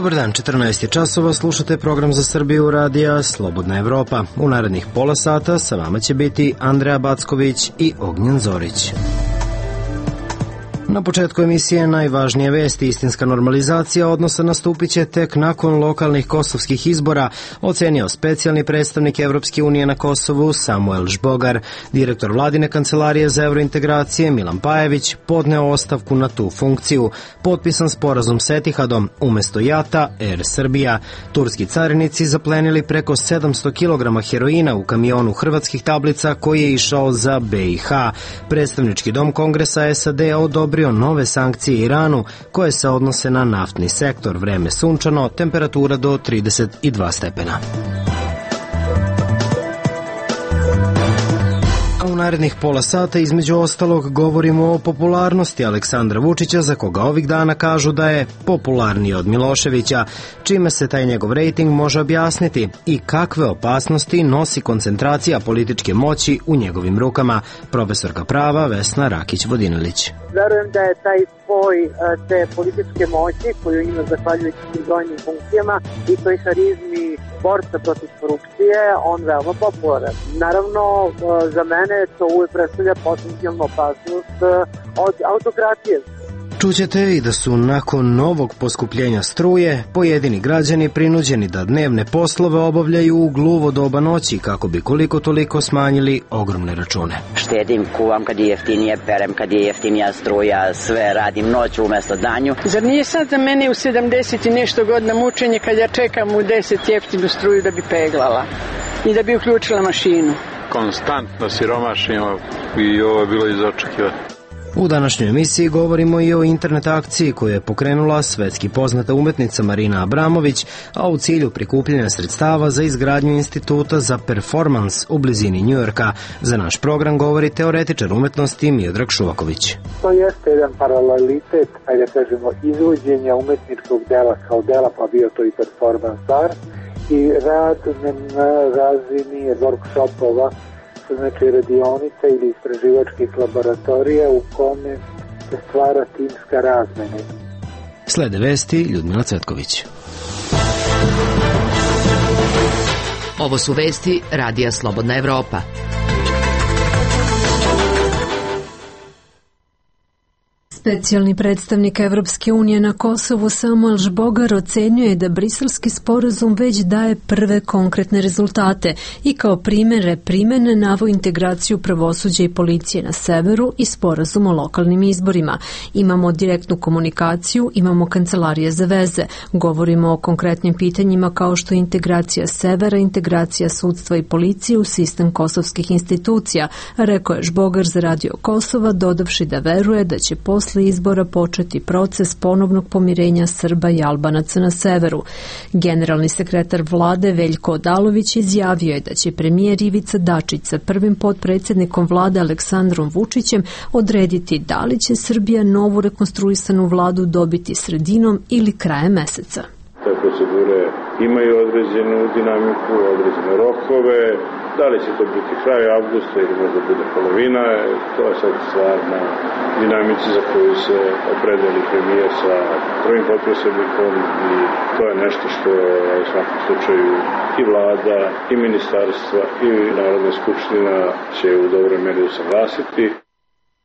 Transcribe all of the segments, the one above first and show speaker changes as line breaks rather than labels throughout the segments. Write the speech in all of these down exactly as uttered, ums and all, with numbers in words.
Dobar dan, četrnaest je časova, slušate program za Srbiju radija Slobodna Evropa. U narednih pola sata sa vama će biti Andreja Backović i Ognjen Zorić. Na početku emisije najvažnije vesti. Istinska normalizacija odnosa nastupit će tek nakon lokalnih kosovskih izbora, ocenio specijalni predstavnik Evropske unije na Kosovu Samuel Žbogar. Direktor vladine kancelarije za evrointegracije Milan Pajević podneo ostavku na tu funkciju. Potpisan sporazum s Etihadom, umesto JAT-a Air Srbija. Turski carinici zaplenili preko sedamsto kilograma heroina u kamionu hrvatskih tablica koji je išao za B i H. Predstavnički dom Kongresa S A D odobrio nove sankcije Iranu koje se odnose na naftni sektor. Vreme sunčano, temperatura do trideset dva stepena. U narednih pola sata između ostalog govorimo o popularnosti Aleksandra Vučića, za koga ovih dana kažu da je popularniji od Miloševića, čime se taj njegov rejting može objasniti i kakve opasnosti nosi koncentracija političke moći u njegovim rukama. Profesorka prava Vesna Rakić-Vodinilić.
Verujem da je taj spoj te političke moći koju ima zahvaljujući brojnim funkcijama i toj harizmi borca protiv korupcije, on veoma popularan. Naravno, za mene to uvijek predstavlja potencijalnu opasnost od autokratije.
Čućete i da su nakon novog poskupljenja struje pojedini građani prinuđeni da dnevne poslove obavljaju u gluvo doba noći kako bi koliko toliko smanjili ogromne račune.
Štedim, kuvam kad je jeftinije, perem kad je jeftinija struja, sve radim noću umesto danju.
Zar nije sad za mene u sedamdeset i nešto godina mučenje kad ja čekam u deset jeftinu struju da bi peglala i da bi uključila mašinu?
Konstantno siromašimo i ovo je bilo izočekivati.
U današnjoj emisiji govorimo i o internet akciji koju je pokrenula svetski poznata umetnica Marina Abramović, a u cilju prikupljanja sredstava za izgradnju instituta za performans u blizini Njujorka. Za naš program govori teoretičar umetnosti Miodrag Šuvaković.
To jeste jedan paralelitet, ajde kažemo, izvođenja umetničkog dela kao dela, pa bio to i performans art, i rad na razini workshopova, znači radionica ili istraživačkih laboratorija u kome se stvara timska razmena.
Slede vesti Ljudmila Cvetković.
Ovo su vesti Radija Slobodna Evropa.
Specijalni predstavnik Evropske unije na Kosovu Samuel Žbogar ocenjuje da briselski sporazum već daje prve konkretne rezultate i kao primere primene naveo integraciju pravosuđa i policije na severu i sporazum o lokalnim izborima. Imamo direktnu komunikaciju, imamo kancelarije za veze, govorimo o konkretnim pitanjima kao što je integracija severa, integracija sudstva i policije u sistem kosovskih institucija, rekao je Žbogar za Radio Kosova, dodavši da veruje da će posle izbora početi proces ponovnog pomirenja Srba i Albanaca na severu. Generalni sekretar vlade Veljko Odalović izjavio je da će premijer Ivica Dačić sa prvim potpredsjednikom vlade Aleksandrom Vučićem odrediti da li će Srbija novu rekonstruisanu vladu dobiti sredinom ili krajem meseca.
Te procedure imaju određenu dinamiku, određene rokove. Da li će to biti kraj avgusta ili možda bude polovina, to je sad stvar na dinamici za koju se opredeli premijer sa prvim potpredsjednikom i to je nešto što u svakom slučaju i vlada, i ministarstva, i Narodna skupština će u dobroj meri usaglasiti.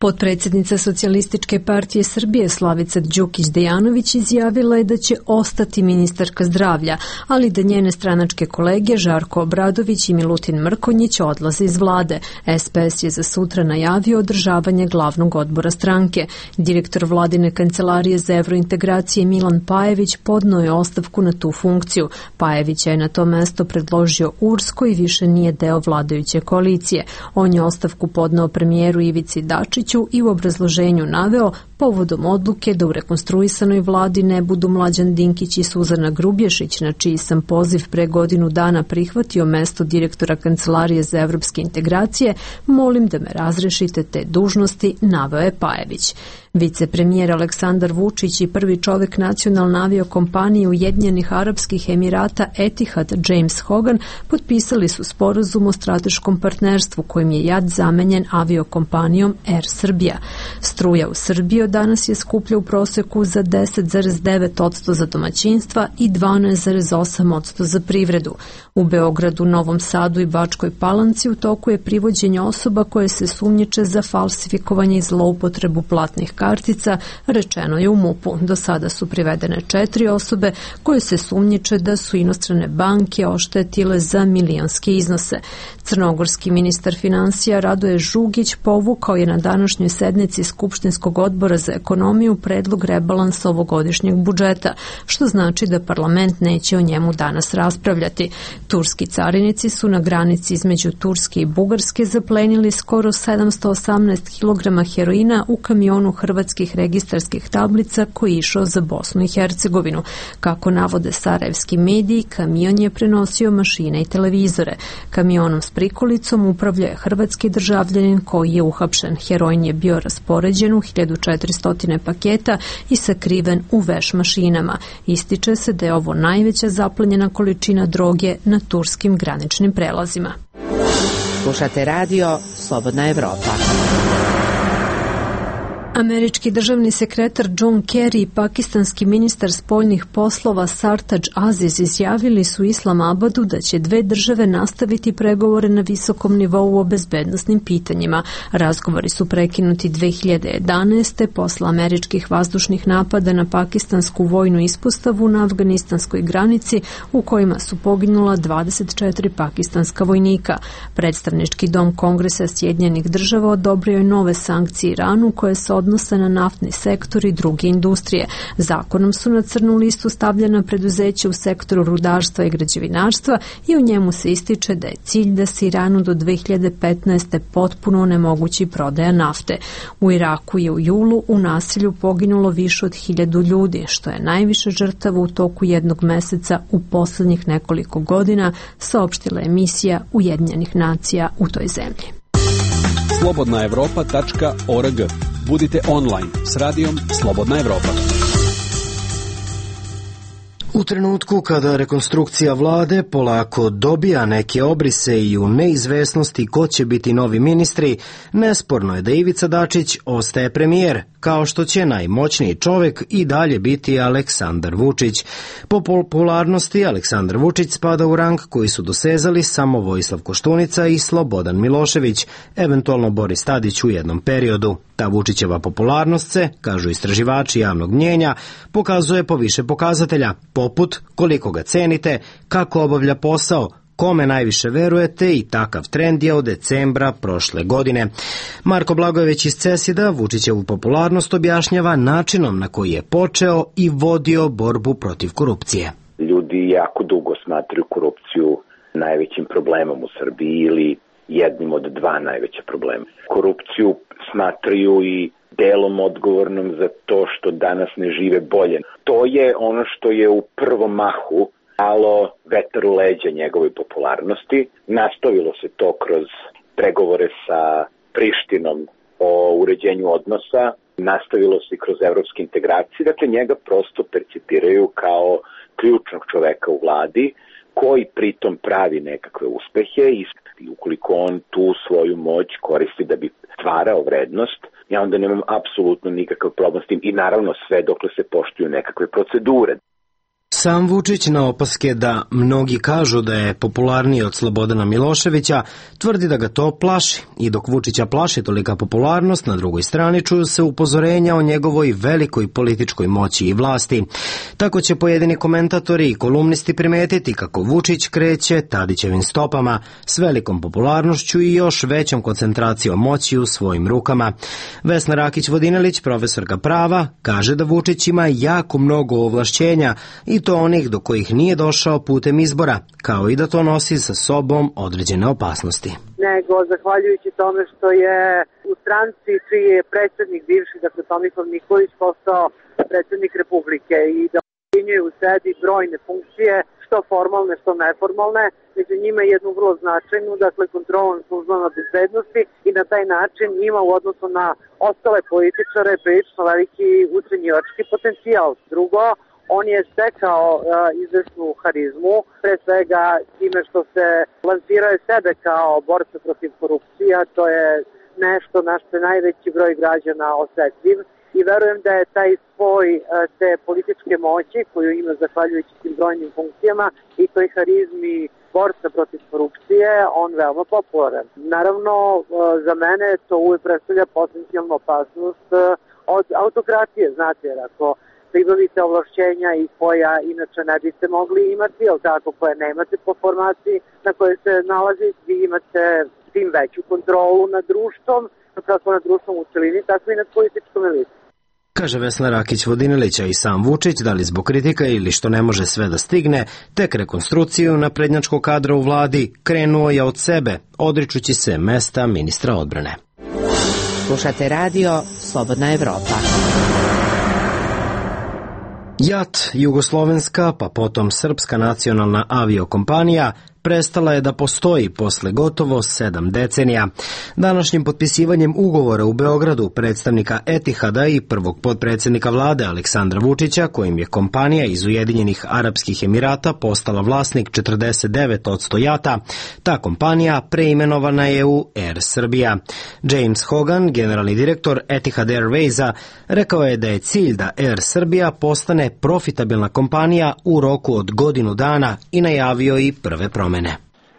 Potpredsjednica Socijalističke partije Srbije Slavica Đukić-Dejanović izjavila je da će ostati ministarka zdravlja, ali da njene stranačke kolege Žarko Obradović i Milutin Mrkonjić odlaze iz vlade. S P S je za sutra najavio održavanje glavnog odbora stranke. Direktor vladine kancelarije za evrointegracije Milan Pajević podneo je ostavku na tu funkciju. Pajevića je na to mesto predložio U R S koji više nije deo vladajuće koalicije. On je ostavku podneo premijeru Ivici Dačiću i u obrazloženju naveo povodom odluke da u rekonstruisanoj vladi ne budu Mlađan Dinkić i Suzana Grubješić, na čiji sam poziv pre godinu dana prihvatio mesto direktora Kancelarije za evropske integracije, molim da me razrešite te dužnosti, naveo je Pajević. Vicepremijer Aleksandar Vučić i prvi čovjek nacionalne aviokompanije Ujedinjenih Arapskih Emirata Etihad James Hogan potpisali su sporazum o strateškom partnerstvu kojim je JAT zamenjen aviokompanijom Air Srbija. Struja u Srbiji od danas je skuplja u proseku za deset zarez devet posto za domaćinstva i dvanaest zarez osam posto za privredu. U Beogradu, Novom Sadu i Bačkoj Palanci u toku je privođenje osoba koje se sumnjiče za falsifikovanje i zloupotrebu platnih kartica, rečeno je u MUP-u. Do sada su privedene četiri osobe koje se sumnjiče da su inostrane banke oštetile za milionske iznose. Crnogorski ministar finansija Radoje Žugić povukao je na današnjoj sednici Skupštinskog odbora za ekonomiju predlog rebalansa ovogodišnjeg budžeta, što znači da parlament neće o njemu danas raspravljati. Turski carinici su na granici između Turske i Bugarske zaplenili skoro sedamsto osamnaest kilograma heroina u kamionu hrvatskih registarskih tablica koji je išao za Bosnu i Hercegovinu. Kako navode sarajevski mediji, kamion je prenosio mašine i televizore. Kamionom s prikolicom upravlja hrvatski državljanin koji je uhapšen. Heroin je bio raspoređen u hiljadu četiristo paketa i sakriven u veš mašinama. Ističe se da je ovo najveća zaplenjena količina droge na turskim graničnim prelazima.
Slušate radio Slobodna Evropa.
Američki državni sekretar John Kerry i pakistanski ministar spoljnih poslova Sartaj Aziz izjavili su Islamabadu da će dve države nastaviti pregovore na visokom nivou o bezbednosnim pitanjima. Razgovori su prekinuti dve hiljade jedanaeste posle američkih vazdušnih napada na pakistansku vojnu ispostavu na afganistanskoj granici u kojima su poginula dvadeset četiri pakistanska vojnika. Predstavnički dom Kongresa Sjedinjenih država odobrio je nove sankcije Iranu koje se odnose na naftni sektor i druge industrije. Zakonom su na crnu listu stavljena preduzeća u sektoru rudarstva i građevinarstva i u njemu se ističe da je cilj da se Iranu do dve hiljade petnaeste potpuno onemogući prodaja nafte. U Iraku je u julu u nasilju poginulo više od hiljadu ljudi, što je najviše žrtava u toku jednog meseca u poslednjih nekoliko godina, saopštila je misija Ujedinjenih nacija u toj zemlji.
slobodna evropa tačka org. Budite online s radijom Slobodna Evropa.
U trenutku kada rekonstrukcija vlade polako dobija neke obrise i u neizvesnosti ko će biti novi ministri, nesporno je da Ivica Dačić ostaje premijer, kao što će najmoćniji čovjek i dalje biti Aleksandar Vučić. Po popularnosti Aleksandar Vučić spada u rang koji su dosezali samo Vojislav Koštunica i Slobodan Milošević, eventualno Boris Tadić u jednom periodu. Ta Vučićeva popularnost se, kažu istraživači javnog mnjenja, pokazuje po više pokazatelja, poput koliko ga cenite, kako obavlja posao, kome najviše verujete i takav trend je od decembra prošle godine. Marko Blagojević iz Cesida Vučićevu popularnost objašnjava načinom na koji je počeo i vodio borbu protiv korupcije.
Ljudi jako dugo smatraju korupciju najvećim problemom u Srbiji ili jednim od dva najveća problema. Korupciju smatraju i delom odgovornom za to što danas ne žive bolje. To je ono što je u prvom mahu dalo vetar u leđa njegovoj popularnosti. Nastavilo se to kroz pregovore sa Prištinom o uređenju odnosa, nastavilo se kroz evropske integracije. Dakle, njega prosto percipiraju kao ključnog čoveka u vladi koji pritom pravi nekakve uspehe i ukoliko on tu svoju moć koristi da bi stvarao vrednost, ja onda nemam apsolutno nikakav problem s tim i naravno sve dokle se poštuju nekakve procedure.
Sam Vučić na opaske da mnogi kažu da je popularniji od Slobodana Miloševića, tvrdi da ga to plaši. I dok Vučića plaši tolika popularnost, na drugoj strani čuju se upozorenja o njegovoj velikoj političkoj moći i vlasti. Tako će pojedini komentatori i kolumnisti primetiti kako Vučić kreće Tadićevim stopama s velikom popularnošću i još većom koncentracijom moći u svojim rukama. Vesna Rakić-Vodinelić, profesorka prava, kaže da Vučić ima jako mnogo ovlašćenja i to onih do kojih nije došao putem izbora, kao i da to nosi sa sobom određene opasnosti.
Nego, zahvaljujući tome što je u stranci čiji je predsjednik bivši, dakle Tomislav Nikolić, postao predsjednik Republike i da imaju u sebi brojne funkcije, što formalne, što neformalne, među njima jednu vrlo značajnu, dakle kontrolom službama bezbednosti i na taj način ima u odnosu na ostale političare prilično veliki ucenjivački potencijal. Drugo, on je stekao uh, izvesnu harizmu, pre svega time što se lansirao sebe kao borca protiv korupcija, to je nešto na što je najveći broj građana osetljiv i verujem da je taj spoj uh, te političke moći koju ima zahvaljujući tim brojnim funkcijama i toj harizmi borca protiv korupcije, on veoma popularan. Naravno, uh, za mene to uvijek predstavlja potencijalnu opasnost uh, od autokratije, znate, jer ako pribavite ovlašćenja i koja inače ne biste mogli imati, ali tako koje nemate po formaciji na kojoj se nalazi, vi imate tim veću kontrolu nad društvom, kako nad društvom u celini, tako i nad političkom elitom.
Kaže Vesna Rakić-Vodinilić, a i sam Vučić, da li zbog kritika ili što ne može sve da stigne, tek rekonstrukciju naprednjačkog kadra u vladi krenuo je od sebe, odričući se mesta ministra odbrane.
Slušate radio Slobodna Evropa.
JAT, jugoslovenska, pa potom srpska nacionalna aviokompanija, prestala je da postoji posle gotovo sedam decenija. Današnjim potpisivanjem ugovora u Beogradu predstavnika Etihada i prvog potpredsjednika vlade Aleksandra Vučića, kojim je kompanija iz Ujedinjenih Arapskih Emirata postala vlasnik četrdeset devet posto JAT-a, ta kompanija preimenovana je u Air Srbija. James Hogan, generalni direktor Etihad Airwaysa, rekao je da je cilj da Air Srbija postane profitabilna kompanija u roku od godinu dana i najavio i prve promene.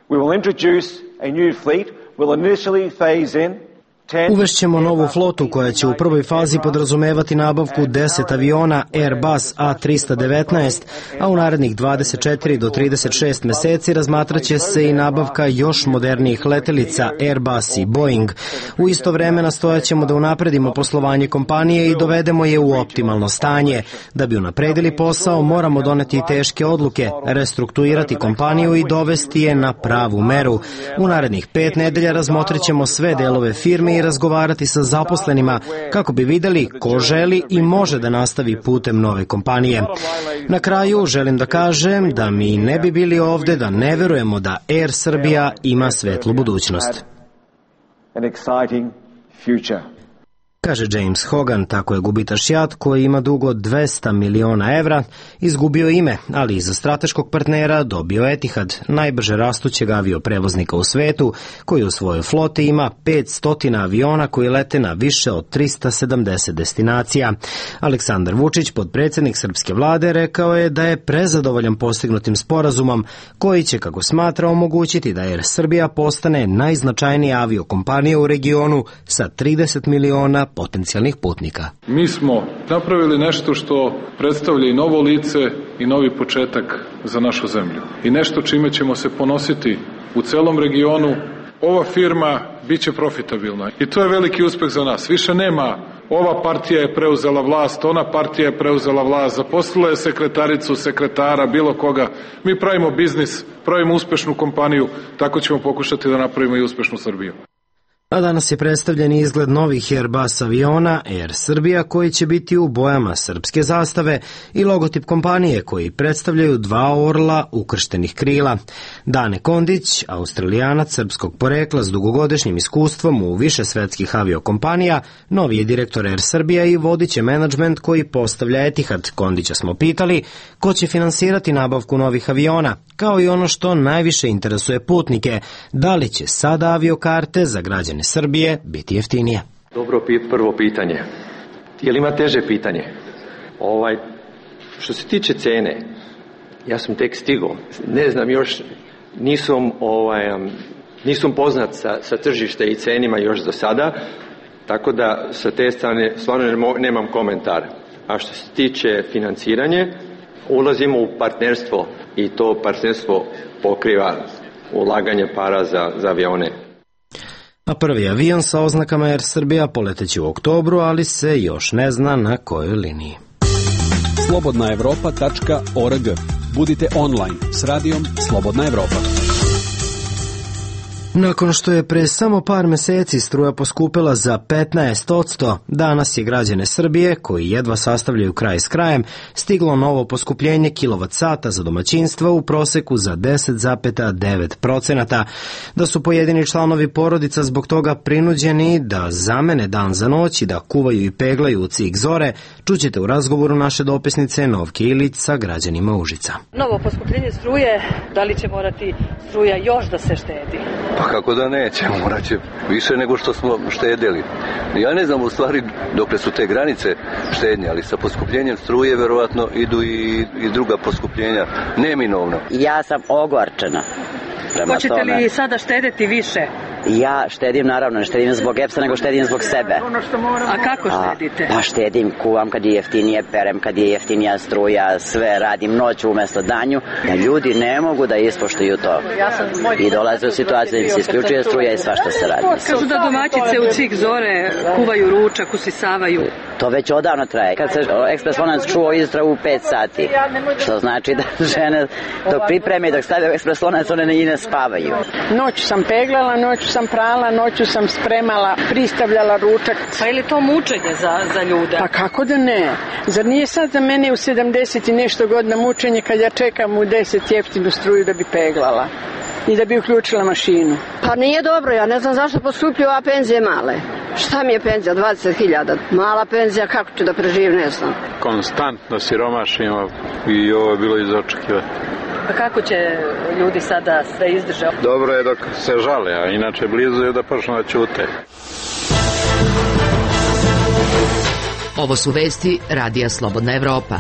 We will introduce a new fleet. We'll initially phase in
Uvešćemo novu flotu koja će u prvoj fazi podrazumevati nabavku deset aviona Airbus A trista devetnaest, a u narednih dvadeset četiri do trideset šest meseci razmatraće se i nabavka još modernijih letelica Airbus i Boeing. U isto vreme nastojaćemo da unapredimo poslovanje kompanije i dovedemo je u optimalno stanje. Da bi unapredili posao, moramo doneti teške odluke, restrukturirati kompaniju i dovesti je na pravu meru. U narednih pet nedelja razmotrit ćemo sve delove firme i razgovarati sa zaposlenima kako bi videli ko želi i može da nastavi putem nove kompanije. Na kraju želim da kažem da mi ne bi bili ovde da ne verujemo da Air Srbija ima svetlu budućnost. Kaže James Hogan, tako je gubitaš JAT koji ima dug od dvesta miliona evra, izgubio ime, ali iza strateškog partnera dobio Etihad, najbrže rastućeg avioprevoznika u svetu, koji u svojoj floti ima petsto aviona koji lete na više od trista sedamdeset destinacija. Aleksandar Vučić, potpredsjednik srpske vlade, rekao je da je prezadovoljan postignutim sporazumom koji će, kako smatra, omogućiti da Air Srbija postane najznačajnija aviokompanija u regionu sa trideset miliona potencijalnih putnika.
Mi smo napravili nešto što predstavlja i novo lice i novi početak za našu zemlju. I nešto čime ćemo se ponositi u celom regionu. Ova firma biće profitabilna i to je veliki uspeh za nas. Više nema ova partija je preuzela vlast, ona partija je preuzela vlast, zaposlila je sekretaricu, sekretara, bilo koga. Mi pravimo biznis, pravimo uspešnu kompaniju, tako ćemo pokušati da napravimo i uspešnu Srbiju.
A danas je predstavljen izgled novih Airbus aviona Air Srbija koji će biti u bojama srpske zastave i logotip kompanije koji predstavljaju dva orla ukrštenih krila. Dane Kondić, Australijanac srpskog porekla s dugogodišnjim iskustvom u više svetskih aviokompanija, novi je direktor Air Srbija i vodiće menadžment koji postavlja Etihad. Kondića smo pitali ko će finansirati nabavku novih aviona, kao i ono što najviše interesuje putnike, da li će sada aviokarte za građane Srbije biti jeftinije.
Dobro prvo pitanje. Je li ima teže pitanje? Ovaj, što se tiče cene, ja sam tek stigao. Ne znam još, nisam, ovaj, nisam poznat sa, sa tržište i cenima još do sada, tako da sa te strane stvarno nemam komentar. A što se tiče financiranje, ulazimo u partnerstvo i to partnerstvo pokriva ulaganje para za, za avione.
A prvi avion sa oznakama Air Srbija poleteći u oktobru, ali se još ne zna na kojoj liniji.
slobodna evropa tačka org. Budite online s radijom Slobodna Evropa.
Nakon što je pre samo par meseci struja poskupila za petnaest posto, danas je građane Srbije, koji jedva sastavljaju kraj s krajem, stiglo novo poskupljenje kilovat sata za domaćinstva u proseku za deset zarez devet procenata. Da su pojedini članovi porodica zbog toga prinuđeni da zamene dan za noć i da kuvaju i peglaju u cik zore, čućete u razgovoru naše dopisnice Novke Ilić sa građanima Užica.
Novo poskupljenje struje, da li će morati struja još da se štedi?
Pa kako da neće, morat će više nego što smo štedili. Ja ne znam u stvari dokle su te granice štednje, ali sa poskupljenjem struje verovatno idu i, i druga poskupljenja, neminovno.
Ja sam ogorčena.
Hoćete li tome, sada štedeti više?
Ja štedim, naravno, ne štedim zbog E P S-a, nego štedim zbog sebe.
A kako štedite?
A, pa štedim, kuvam kad je jeftinije, perem kad je jeftinija struja, sve radim noću umesto danju, da ljudi ne mogu da ispoštuju to. I dolaze u situaciju da im se isključuje struja i svašta se radi.
Kažu da domaćice u cik zore kuvaju ručak, usisavaju.
To već odavno traje. Kad se ekspres lonac čuo izra u pet sati, što znači da žene dok pripreme i dok stave u ekspres lonac, one i ne spavaju.
Noću sam peglala, noću sam prala, noću sam spremala, pristavljala ručak.
Pa je li to mučenje za, za ljude?
Pa kako da ne? Zar nije sad za mene u sedamdeset i nešto godina mučenje kad ja čekam u deset jeftinu struju da bi peglala i da bi uključila mašinu?
Pa nije dobro, ja ne znam zašto poskupljuju, a penzije male. Šta mi je penzija? dvadeset hiljada. Mala penzija, kako ću da preživim, ne znam.
Konstantno siromašimo i ovo je bilo iz očekivati.
Pa kako će ljudi sada sve izdržati?
Dobro je dok se žale, a inače blizu je da počnu da ćute.
Ovo su vesti Radija Slobodna Evropa.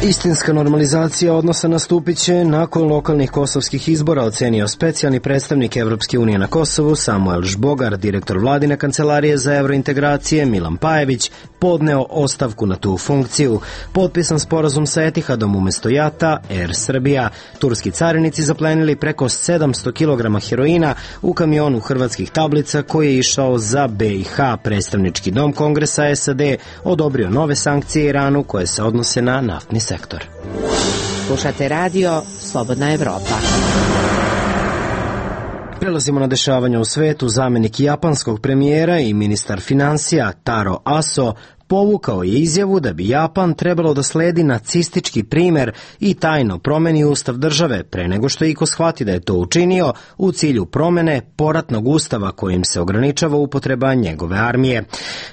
Istinska normalizacija odnosa nastupit će nakon lokalnih kosovskih izbora, ocenio specijalni predstavnik Evropske unije na Kosovu Samuel Žbogar. Direktor vladine kancelarije za evrointegracije Milan Pajević podneo ostavku na tu funkciju. Potpisan sporazum sa Etihadom umesto Jata, Air Srbija. Turski carinici zaplenili preko sedamsto kilograma heroina u kamionu hrvatskih tablica koji je išao za B i H. Predstavnički dom Kongresa S A D odobrio nove sankcije Iranu koje se odnose na naftni sektor.
Slušate radio Slobodna Evropa.
Prelazimo na dešavanja u svetu. Zamenik japanskog premijera i ministar finansija Taro Aso povukao je izjavu da bi Japan trebalo da sledi nacistički primer i tajno promeni ustav države pre nego što iko shvati da je to učinio u cilju promene poratnog ustava kojim se ograničava upotreba njegove armije.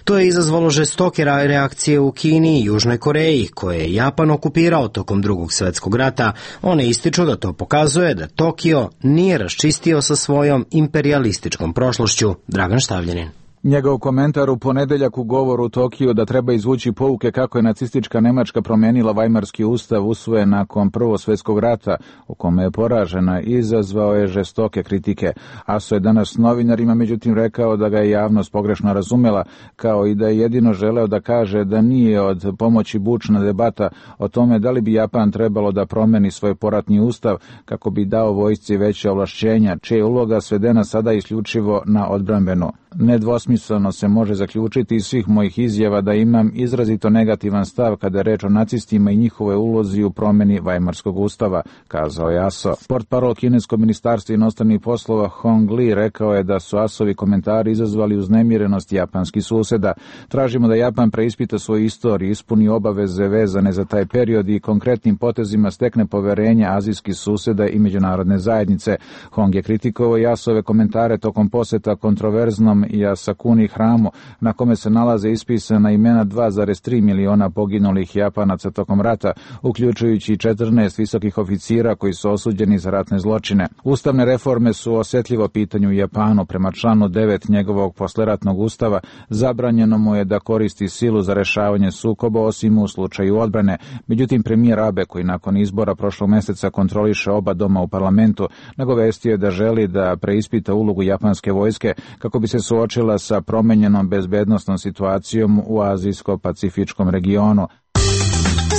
To je izazvalo žestoke reakcije u Kini i Južnoj Koreji, koje je Japan okupirao tokom Drugog svetskog rata. One ističu da to pokazuje da Tokio nije raščistio sa svojom imperialističkom prošlošću. Dragan Štavljanin.
Njegov komentar u ponedeljak u govoru u Tokiju da treba izvući pouke kako je nacistička Nemačka promenila Vajmarski ustav usvojen nakon Prvog svjetskog rata, u kome je poražena, izazvao je žestoke kritike. Aso je danas novinarima međutim rekao da ga je javnost pogrešno razumela, kao i da je jedino želeo da kaže da nije od pomoći bučna debata o tome da li bi Japan trebalo da promeni svoj poratni ustav kako bi dao vojsci veće ovlašćenja, čija je uloga svedena sada isključivo na odbrambenu. Nedvosmisleno se može zaključiti iz svih mojih izjava da imam izrazito negativan stav kada je reč o nacistima i njihove ulozi u promeni Vajmarskog ustava, kazao je Aso. Portparol kineskog ministarstva inostranih poslova Hong Li rekao je da su Asovi komentari izazvali uznemirenost japanskih suseda. Tražimo da Japan preispita svoju istoriju, ispuni obaveze vezane za taj period i konkretnim potezima stekne poverenje azijskih suseda i međunarodne zajednice. Hong je kritikovao i Asove komentare tokom poseta kontroverznom i Asakuni hramu, na kome se nalaze ispisana imena dva zarez tri miliona poginulih Japanaca tokom rata, uključujući četrnaest visokih oficira koji su osuđeni za ratne zločine. Ustavne reforme su osjetljivo pitanje u Japanu. Prema članu devet njegovog posleratnog ustava zabranjeno mu je da koristi silu za rešavanje sukoba osim u slučaju odbrane. Međutim, premijer Abe, koji nakon izbora prošlog meseca kontroliše oba doma u parlamentu, nagovestio je da želi da preispita ulogu japanske vojske kako bi se suočila sa promenjenom bezbednosnom situacijom u azijsko-pacifičkom regionu.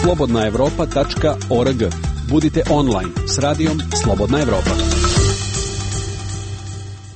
slobodna evropa tačka org. Budite online s radijom Slobodna Evropa.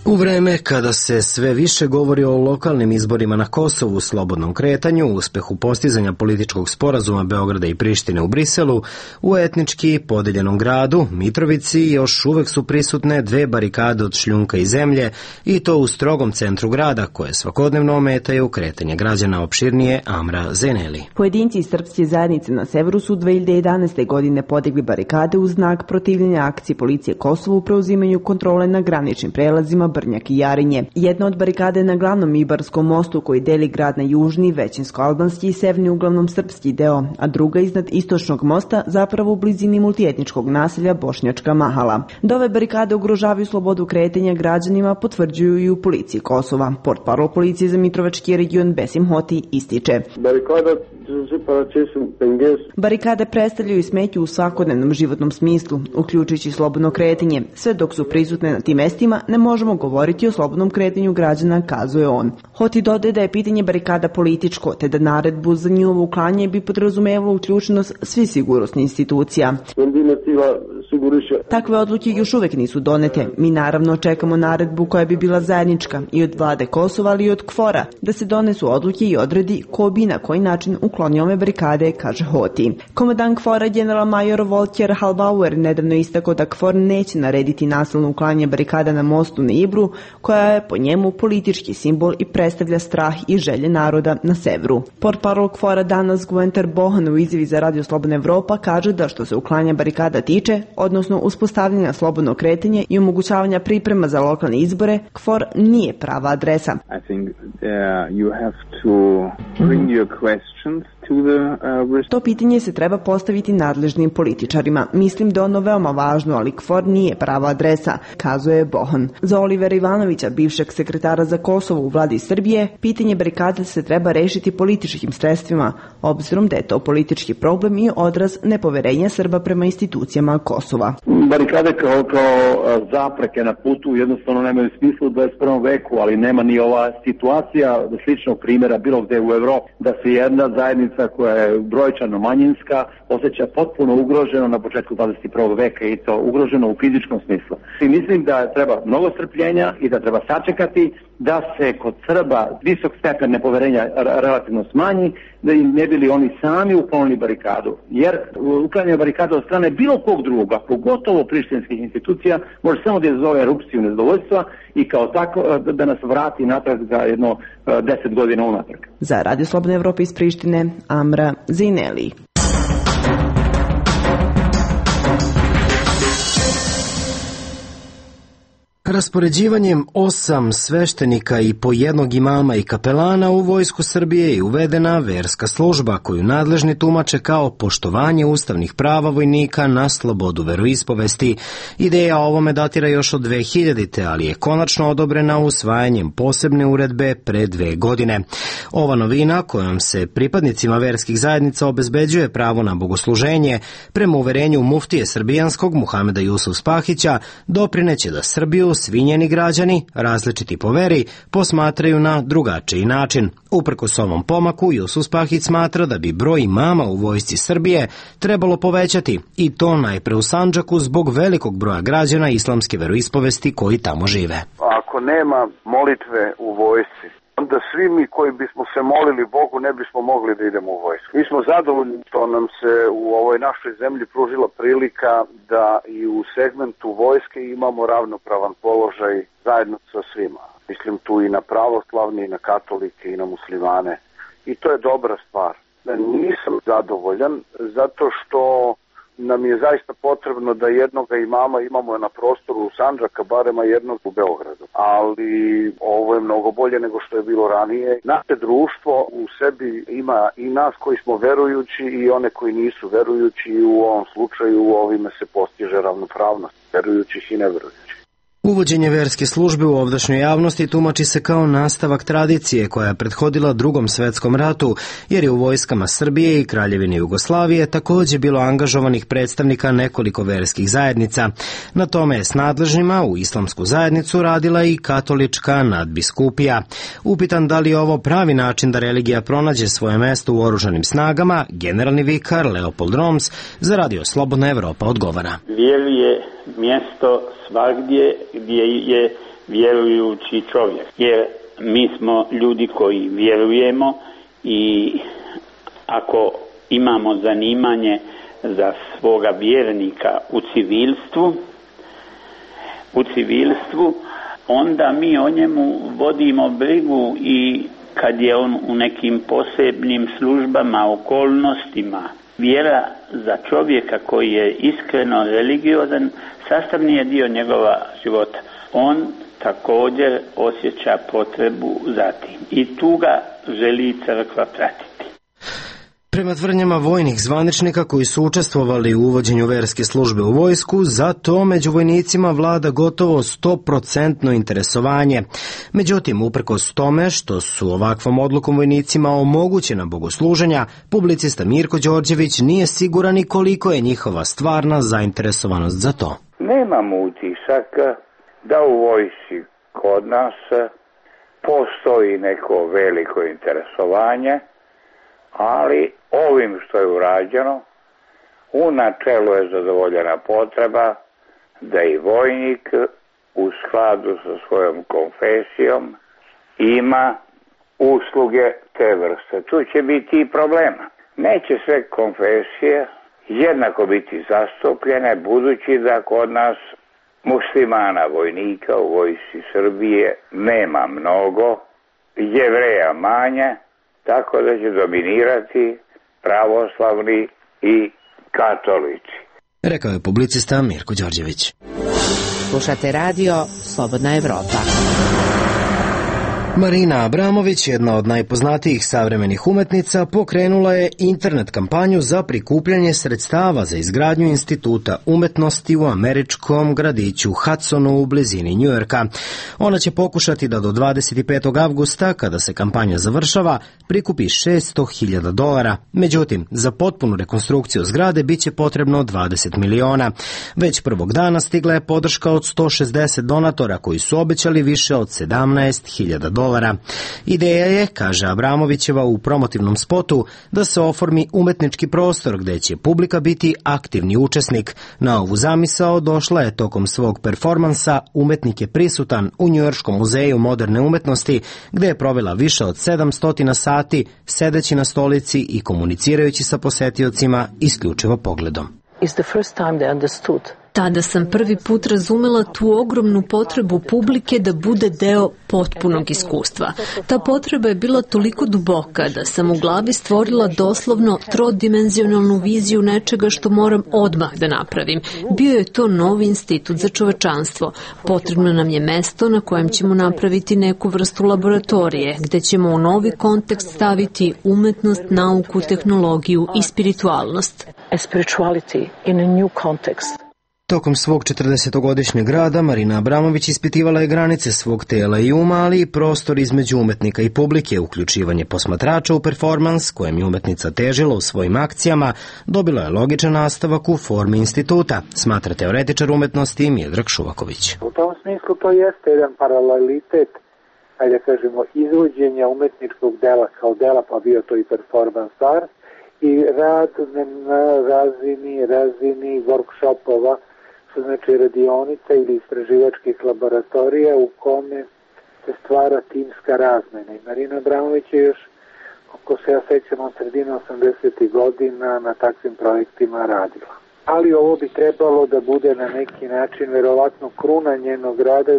U vreme kada se sve više govori o lokalnim izborima na Kosovu, slobodnom kretanju, uspehu postizanja političkog sporazuma Beograda i Prištine u Briselu, u etnički podeljenom gradu, Mitrovici, još uvek su prisutne dve barikade od šljunka i zemlje, i to u strogom centru grada, koje svakodnevno ometaju kretanje građana, opširnije Amra Zeneli.
Pojedinci iz srpske zajednice na severu su dve hiljade jedanaeste. godine podigli barikade u znak protivljenja akciji policije Kosovu u preuzimanju kontrole na graničnim prelazima Brnjak i Jarinje. Jedna od barikade na glavnom Ibarskom mostu koji deli grad na južni, većinsko-albanski i severni, uglavnom srpski deo, a druga iznad istočnog mosta, zapravo u blizini multietničkog naselja Bošnjačka Mahala. Da ove barikade ugrožavaju slobodu kretanja građanima potvrđuju i u policiji Kosova. Portparol policije za Mitrovački region Besim Hoti ističe: barikade predstavljaju smetnju u svakodnevnom životnom smislu, uključujući slobodno kretanje. Sve dok su prisutne na tim mestima, ne možemo govoriti o slobodnom kretanju građana, kazuje on. Hoti dodaje da je pitanje barikada političko, te da naredbu za njihovo uklanjanje bi podrazumevalo uključenost svih sigurnosnih institucija. Takve odluke još uvek nisu donete. Mi naravno čekamo naredbu koja bi bila zajednička i od vlade Kosova, ali i od KFOR-a, da se donesu odluke i odredi ko bi na koji način uklonio ove barikade, kaže Hoti. Komandant KFOR-a general major Volker Halbauer nedavno istakao da KFOR neće narediti nasilno uklanjanje barikada na mostu na Ibru, koja je po njemu politički simbol i predstavlja strah i želje naroda na severu. Portparol KFOR-a danas Guenter Bohan u izjavi za Radio Slobodna Evropa kaže da što se uklanja barikada tiče, odnosno uspostavljanja slobodnog kretanja i omogućavanja priprema za lokalne izbore, KFOR nije prava adresa.
I think uh, you have to bring your questions to the uh,
To pitanje se treba postaviti nadležnim političarima. Mislim da je ono veoma važno, ali KFOR nije prava adresa, kazuje Bohan. Za Olivera Ivanovića, bivšeg sekretara za Kosovo u vladi Srbije, pitanje barikada se treba rešiti političkim sredstvima, obzirom da je to politički problem i odraz nepoverenja Srba prema institucijama Kosova.
Barikade kao, kao zapreke na putu jednostavno nemaju smisla u dvadeset prvom veku, ali nema ni ova situacija sličnog primjera bilo gde u Evropi, da se jedna zajednica koja je brojčano manjinska osjeća potpuno ugroženo na početku dvadeset prvog veka, i to ugroženo u fizičkom smislu. I mislim da treba mnogo strpljenja i da treba sačekati da se kod Srba visok stepen nepoverenja relativno smanji, da im ne bili oni sami uklonili barikadu. Jer uklanjanje barikada od strane bilo kog drugoga, pogotovo prištinskih institucija, može samo da izazove erupciju nezadovoljstva i kao tako da nas vrati natrag za jedno deset godina unatrag.
Za Radio Slobodna Evropa iz Prištine, Amra Zineli.
Raspoređivanjem osam sveštenika i po jednog imama i kapelana u vojsku Srbije je uvedena verska služba koju nadležni tumače kao poštovanje ustavnih prava vojnika na slobodu veroispovesti. Ideja o ovome datira još od dve hiljadite. ali je konačno odobrena usvajanjem posebne uredbe pre dve godine. Ova novina kojom se pripadnicima verskih zajednica obezbeđuje pravo na bogosluženje, prema uverenju muftije srbijanskog Muhameda Jusuf Spahića, doprineće da Srbiju svi njeni građani, različiti po veri, posmatraju na drugačiji način. Uprkos ovom pomaku, Jusuf Spahić smatra da bi broj imama u vojsci Srbije trebalo povećati, i to najpre u Sandžaku zbog velikog broja građana islamske veroispovesti koji tamo žive.
Ako nema molitve u vojsci, onda svi mi koji bismo se molili Bogu ne bismo mogli da idemo u vojsku. Mi smo zadovoljni što nam se u ovoj našoj zemlji pružila prilika da i u segmentu vojske imamo ravnopravan položaj zajedno sa svima. Mislim tu i na pravoslavne, i na katolike, i na muslimane. I to je dobra stvar. Nisam zadovoljan zato što nam je zaista potrebno da jednoga imama imamo na prostoru Sandžaka, barema jednog u Beogradu. Ali ovo je mnogo bolje nego što je bilo ranije. Naše društvo u sebi ima i nas koji smo verujući i one koji nisu verujući, i u ovom slučaju ovime se postiže ravnopravnost verujućih i neverujućih.
Uvođenje verske službe u ovdašnjoj javnosti tumači se kao nastavak tradicije koja je prethodila Drugom svetskom ratu, jer je u vojskama Srbije i Kraljevine Jugoslavije takođe bilo angažovanih predstavnika nekoliko verskih zajednica. Na tome je s nadležnima u islamsku zajednicu radila i katolička nadbiskupija. Upitan da li je ovo pravi način da religija pronađe svoje mesto u oružanim snagama, generalni vikar Leopold Roms za Radio Slobodna Evropa odgovara.
Vjeri je mjesto svagdje gdje je
vjerujući čovjek. Jer mi smo ljudi koji vjerujemo i ako imamo zanimanje za svoga vjernika u civilstvu, u civilstvu, onda mi o njemu vodimo brigu i kad je on u nekim posebnim službama, okolnostima. Vjera za čovjeka koji je iskreno religiozan sastavni je dio njegova života. On također osjeća potrebu za tim i tu ga želi crkva pratiti.
Prema tvrdnjama vojnih zvaničnika koji su učestvovali u uvođenju verske službe u vojsku, za to među vojnicima vlada gotovo sto posto interesovanje. Međutim, uprkos tome što su ovakvom odlukom vojnicima omogućena bogosluženja, publicista Mirko Đorđević nije siguran i koliko je njihova stvarna zainteresovanost za to.
Nemam utisak da u vojsci kod nas postoji neko veliko interesovanje, ali ovim što je urađeno, u načelu je zadovoljena potreba da i vojnik u skladu sa svojom konfesijom ima usluge te vrste. Tu će biti i problema. Neće sve konfesije jednako biti zastupljene, budući da kod nas muslimana vojnika u vojsci Srbije nema mnogo, Jevreja manje, tako da će dominirati pravoslavni i katolici.
Rekao je publicista Mirko Đorđević.
Slušate radio Slobodna Evropa.
Marina Abramović, jedna od najpoznatijih savremenih umetnica, pokrenula je internet kampanju za prikupljanje sredstava za izgradnju Instituta umetnosti u američkom gradiću Hudsonu u blizini Njujorka. Ona će pokušati da do dvadeset petog avgusta, kada se kampanja završava, prikupi šesto hiljada dolara. Međutim, za potpunu rekonstrukciju zgrade biće potrebno dvadeset miliona. Već prvog dana stigla je podrška od sto šezdeset donatora koji su obećali više od sedamnaest hiljada dolara. Ideja je, kaže Abramovićeva u promotivnom spotu, da se oformi umetnički prostor gde će publika biti aktivni učesnik. Na ovu zamisao došla je tokom svog performansa Umetnik je prisutan u Njujorškom muzeju moderne umetnosti, gde je provela više od sedamsto sati sedeći na stolici i komunicirajući sa posetiocima isključivo pogledom.
Tada sam prvi put razumela tu ogromnu potrebu publike da bude deo potpunog iskustva. Ta potreba je bila toliko duboka da sam u glavi stvorila doslovno trodimenzionalnu viziju nečega što moram odmah da napravim. Bio je to novi institut za čovečanstvo. Potrebno nam je mesto na kojem ćemo napraviti neku vrstu laboratorije, gde ćemo u novi kontekst staviti umetnost, nauku, tehnologiju i spiritualnost.
A spirituality in a new context.
Tokom svog četrdesetogodišnjeg rada Marina Abramović ispitivala je granice svog tela i uma, ali i prostor između umetnika i publike, uključivanje posmatrača u performans kojem je umetnica težila u svojim akcijama, dobilo je logičan nastavak u formi instituta, smatra teoretičar umetnosti Miodrag Šuvaković.
U tom smislu to jeste jedan paralelitet, ajde kažemo, izvođenja umetničkog dela kao dela, pa bio to i performans art, i rad na razini, razini workshopova, što znači radionica ili istraživačkih laboratorija u kome se stvara timska razmena. I Marina Abramović je još, ako se ja sećam, od sredine osamdesetih godina na takvim projektima radila. Ali ovo bi trebalo da bude na neki način verovatno kruna njenog rada.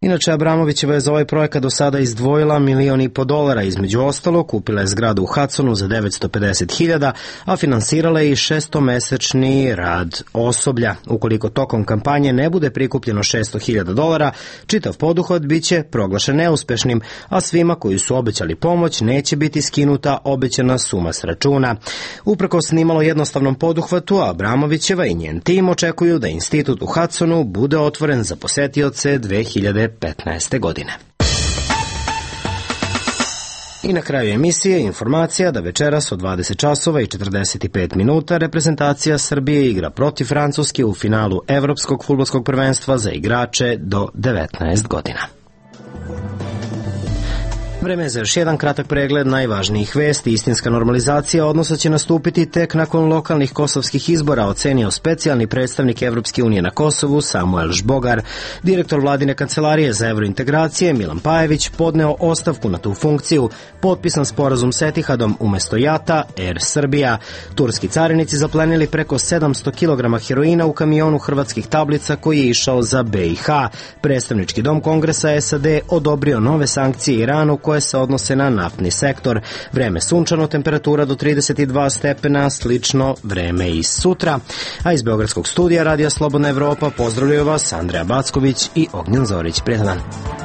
Inače, Abramovićeva je za ovaj projekat do sada izdvojila milion i po dolara. Između ostalo, kupila je zgradu u Hudsonu za devetsto pedeset hiljada, a finansirala je i šestomesečni rad osoblja. Ukoliko tokom kampanje ne bude prikupljeno šesto hiljada dolara, čitav poduhvat biće proglašen neuspešnim, a svima koji su obećali pomoć neće biti skinuta obećana suma s računa. Uprkos nimalo jednostavnom poduhvatu, Abramovićeva i njen tim očekuju da institut u Hudsonu bude otvoren za posetioce dve hiljade petnaeste. godine. I na kraju emisije informacija da večeras od dvadeset časova i četrdeset pet minuta reprezentacija Srbije igra protiv Francuske u finalu Evropskog fudbalskog prvenstva za igrače do devetnaest godina. Vreme je za još jedan kratak pregled najvažnijih vesti. Istinska normalizacija odnosa će nastupiti tek nakon lokalnih kosovskih izbora, ocenio specijalni predstavnik Evropske unije na Kosovu Samuel Žbogar. Direktor vladine kancelarije za evrointegracije Milan Pajević podneo ostavku na tu funkciju. Potpisan sporazum s Etihadom umesto Jata, Air Srbija. Turski carinici zaplenili preko sedamsto kilograma heroina u kamionu hrvatskih tablica koji je išao za B i H. Predstavnički dom Kongresa S A D odobrio nove sankcije Iranu koje se odnose na naftni sektor. Vreme sunčano, temperatura do trideset dva stepena, slično vreme i sutra. A iz Beogradskog studija Radija Slobodna Evropa pozdravljaju vas Andreja Backović i Ognjen Zorić. Prijetan dan.